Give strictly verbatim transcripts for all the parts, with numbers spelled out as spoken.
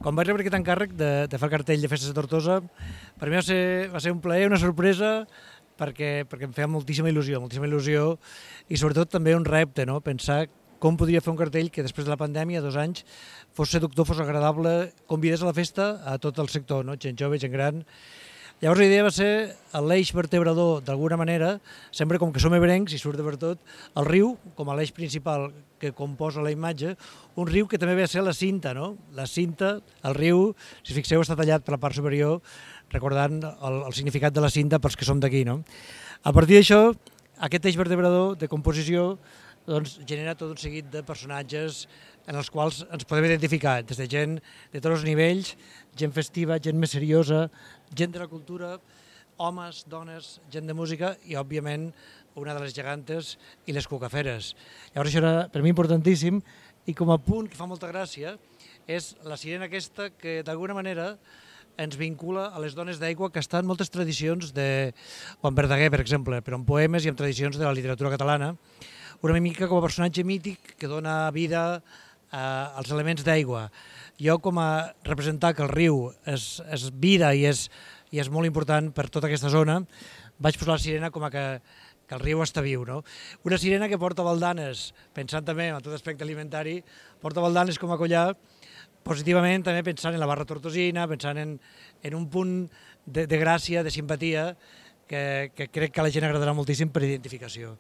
Quan vaig rebre aquest encàrrec de, de fer el cartell de Festes de Tortosa, per mi va ser, va ser un plaer, una sorpresa, perquè, perquè em feia moltíssima il·lusió, moltíssima il·lusió i sobretot també un repte, no? Pensar com podria fer un cartell que després de la pandèmia, dos anys, fos seductor, fos agradable, convidés a la festa a tot el sector, no? Gent jove, gent gran. Llavors la idea va ser l'eix vertebrador, d'alguna manera, sempre com que som ebrencs i surt de per tot, el riu, com a l'eix principal que composa la imatge, un riu que també ve a ser la cinta, no? La cinta, el riu, si fixeu, està tallat per la part superior, recordant el, el significat de la cinta pels que som d'aquí, no? A partir d'això, aquest eix vertebrador de composició doncs, genera tot un seguit de personatges en els quals ens podem identificar, des de gent de tots els nivells, gent festiva, gent més seriosa, gent de la cultura, homes, dones, gent de música i, òbviament, una de les gegantes i les cucaferes. Llavors això era per mi importantíssim i com a punt que fa molta gràcia és la sirena aquesta que d'alguna manera ens vincula a les dones d'aigua que estan en moltes tradicions de Juan Verdaguer, per exemple, però en poemes i en tradicions de la literatura catalana, una mica com a personatge mític que dona vida als elements d'aigua. Jo, com a representar que el riu és, és vida i és, i és molt important per tota aquesta zona, vaig posar la sirena com a que, que el riu està viu. No? Una sirena que porta baldanes, pensant també en tot aspecte alimentari, porta baldanes com a collar, positivament també pensant en la barra tortosina, pensant en, en un punt de, de gràcia, de simpatia, que, que crec que a la gent agradarà moltíssim per identificació.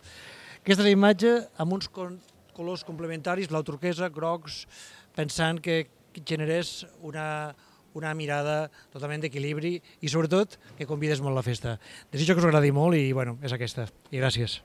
Aquesta és la imatge amb uns colors complementaris, blau turquesa, grocs, pensant que generés una, una mirada totalment d'equilibri i sobretot que convides molt a la festa. Desitjo que us agradi molt i bueno, és aquesta. I gràcies.